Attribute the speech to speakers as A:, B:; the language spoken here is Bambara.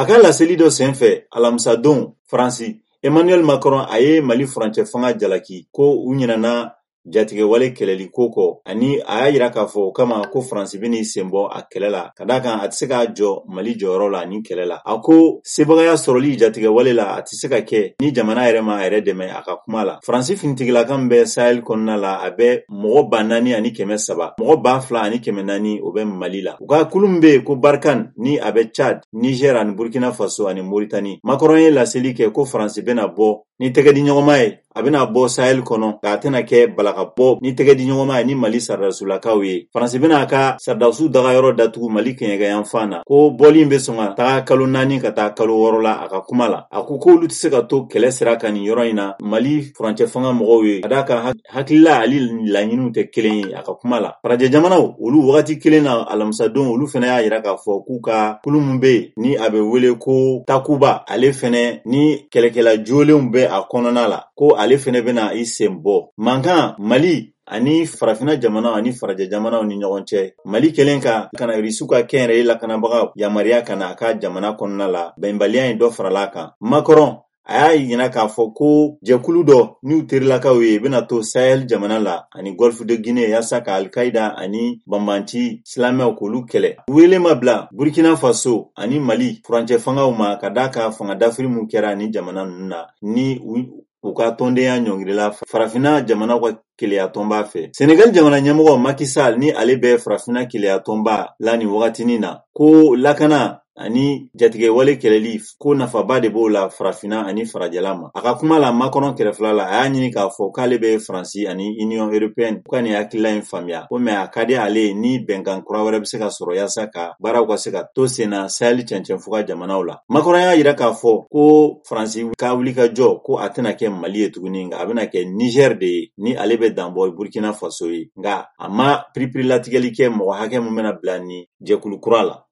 A: A ka laseli dɔ senfɛ alamisadon Faransi, Emmanuel Macron a ye Mali furancɛ fanga jalaki ko u ɲinɛna jatigɛwale kɛlɛli ko kɔ, ani a y'a yira k'a fɔ o kama ko Faransi bɛn'i sen bɔ a kɛlɛ la, ka d'a kan a tɛ se k'a jɔ Mali jɔyɔrɔ la nin kɛlɛ la. A ko sebagaya sɔrɔli jatigɛwale la, a tɛ se ka kɛ ni jamana yɛrɛ ma a yɛrɛ dɛmɛ a ka kuma la. Faransi finitigilaka min bɛ Sahel kɔnɔna la, a bɛ mɔgɔ 4300, mɔgɔ 2400 o bɛ Mali la. U ka kulu min bɛ yen ko Barkhane, ni a bɛ Tchad, Niger ani Burkina Faso ani Mauritanie. Macron ye laseli kɛ ko Faransi bɛna bɔ ni tɛgɛdiɲɔgɔnma ye, a bɛna bɔ Sahel kɔnɔ, nka a tɛna kɛ balaka bɔ ni tɛgɛdiɲɔgɔnma ye ni Mali saradasulakaw ye. Faransi bɛna a ka saradasiw dagayɔrɔ datugu Mali kɛɲɛkɛyanfan na, ko bɔli in bɛ sɔn ka taga kalo 4 ka taa kalo 6 la. A ka kuma la, a ko k'olu tɛ se ka to kɛlɛ sira kan nin yɔrɔ in na Mali furancɛ fanga mɔgɔw ye, ka d'a kan hakilila ani laɲiniw tɛ kelen ye. A ka kuma la, farajɛ jamanaw olu wagati kelen na alamisadon, olu fana y'a yira k'a fɔ k'u ka kulu min bɛ yen ni a bɛ wele ko Takuba, ale fɛnɛ ni kɛlɛkɛla jolenw bɛ a kɔnɔna la, ko ale fɛnɛ bɛna i sen bɔ mankan Mali ani farafinna jamanaw ani farajɛ jamanaw ni ɲɔgɔn cɛ. Mali kɛlen ka kana Irisiw ka kɛnyɛrɛye lakanabagaw yamaruya ka na a ka jamana kɔnɔna la, bɛnbaliya in dɔ farala a kan. Macron a y'a yira k'a fɔ ko jɛkulu dɔ n'u terilakaw ye bɛna to Sahel jamana la ani Golfe de Guinée yaasa ka Al-Qaïda ani banbanci silamɛw k'olu kɛlɛ. Wele ma bila Burkina Faso ani Mali furancɛ fangaw ma ka d'a kan fanga dafiri mun kɛra ni jamana ninnu na, ni u ka tɔndenya ɲɔngirila farafinna jamanaw ka keleya tɔnba fɛ. Senegal jamana ɲɛmɔgɔ Macky Sall, ni ale bɛ farafinna keleya tɔnba la nin wagatinin na, ko lakana ani jatigɛwale kɛlɛli ko nafaba de b'o la farafinna ani farajɛla ma. A ka kuma la Macron kɛrɛfɛla la, a y'a ɲini k'a fɔ k'ale bɛ Faransi ani Union européenne ka nin hakilila in faamuya, ko mɛ a ka di ale ye ni bɛnkan kura wɛrɛ bɛ se ka sɔrɔ yaasa ka baaraw ka se ka to sen na Sahel cɛncɛnfuga jamanaw la. Macron y'a yira k'a fɔ ko Faransi ka wuli ka jɔ ko a tɛna kɛ Mali ye tuguni, nka a bɛna kɛ Niger de ye, ni ale bɛ danbɔ Burkina Faso ye, nka a ma piripirilatigɛli kɛ mɔgɔ hakɛ min bɛna bila ni jɛkulu kura la.